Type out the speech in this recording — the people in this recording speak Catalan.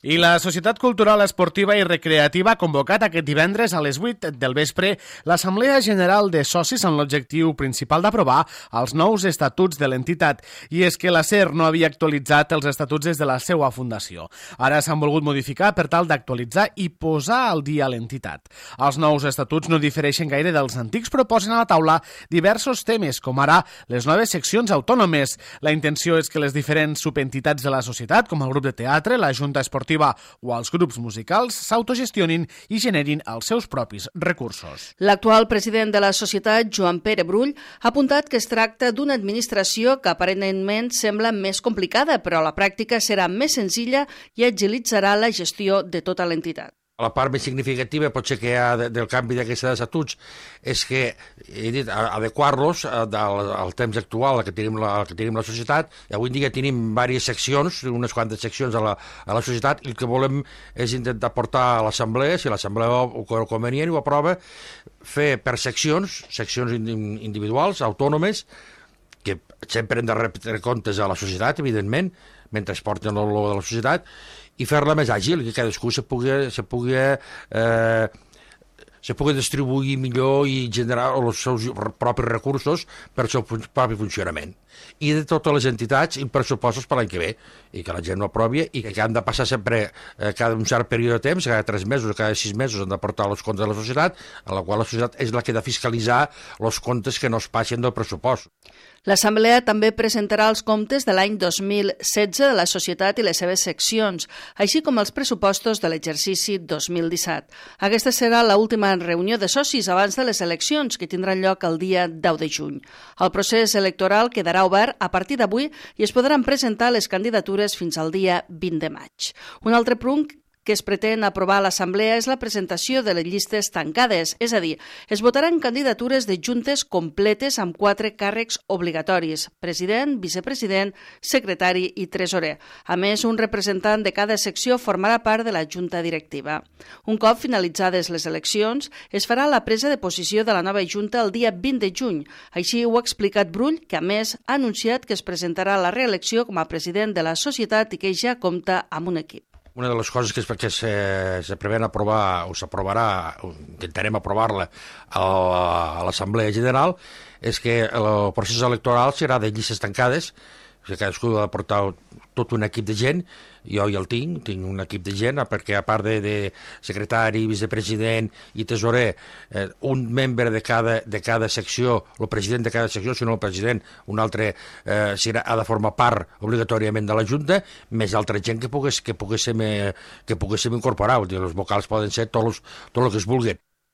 I la Societat Cultural, Esportiva i Recreativa ha convocat aquest divendres a les 8 del vespre l'Assemblea General de Socis amb l'objectiu principal d'aprovar els nous estatuts de l'entitat. I és que la SER no havia actualitzat els estatuts des de la seva fundació. Ara s'han volgut modificar per tal d'actualitzar i posar al dia l'entitat. Els nous estatuts no difereixen gaire dels antics, però posen a la taula diversos temes, com ara les noves seccions autònomes. La intenció és que les diferents subentitats de la societat, com el grup de teatre, la Junta Esportiva o els grups musicals, s'autogestionin i generin els seus propis recursos. L'actual president de la societat, Joan Pere Brull, ha apuntat que es tracta d'una administració que aparentment sembla més complicada, però a la pràctica serà més senzilla i agilitzarà la gestió de tota l'entitat. La part més significativa potser que hi ha del canvi d'aquests estatuts és que, he dit, adequar-los al temps actual que tenim la societat. Avui en dia tenim diverses seccions, unes quantes seccions a la societat, i el que volem és intentar portar a l'assemblea, si l'assemblea ho convenient i ho aprova, fer per seccions individuals, autònomes, que sempre hem de retre comptes a la societat, evidentment, mentre es porten el logo de la societat, i fer-la més àgil, que cadascú se pugui distribuir millor i generar els seus propis recursos per al seu propi funcionament. I de totes les entitats i pressupostos per l'any que ve, i que la gent ho aprovi, i que han de passar sempre, cada un cert període de temps, cada 3 mesos o cada 6 mesos han de portar els comptes de la societat, a la qual la societat és la que ha de fiscalitzar els comptes que no es passin del pressupost. L'Assemblea també presentarà els comptes de l'any 2016 de la societat i les seves seccions, així com els pressupostos de l'exercici 2017. Aquesta serà l'última reunió de socis abans de les eleccions, que tindran lloc el dia 10 de juny. El procés electoral quedarà obert a partir d'avui i es podran presentar les candidatures fins al dia 20 de maig. Un altre punt que es pretén aprovar a l'Assemblea és la presentació de les llistes tancades, és a dir, es votaran candidatures de juntes completes amb 4 càrrecs obligatoris: president, vicepresident, secretari i tresorer. A més, un representant de cada secció formarà part de la junta directiva. Un cop finalitzades les eleccions, es farà la presa de posició de la nova junta el dia 20 de juny. Així ho ha explicat Brull, que a més ha anunciat que es presentarà a la reelecció com a president de la societat i que ja compta amb un equip. Una de les coses que se prevén aprovar, o s'aprovarà, intentarem aprovar-la a l'Assemblea General, és que el procés electoral serà de llistes tancades, que cadascú ha de portar tot un equip de gent. Jo ja el tinc un equip de gent, perquè a part de secretari, vicepresident i tesorer, un membre de cada secció, el president de cada secció, si no el president, un altre ha de formar part obligatòriament de la Junta, més altra gent que poguéssim incorporar. Els vocals poden ser tot el que es vulgui.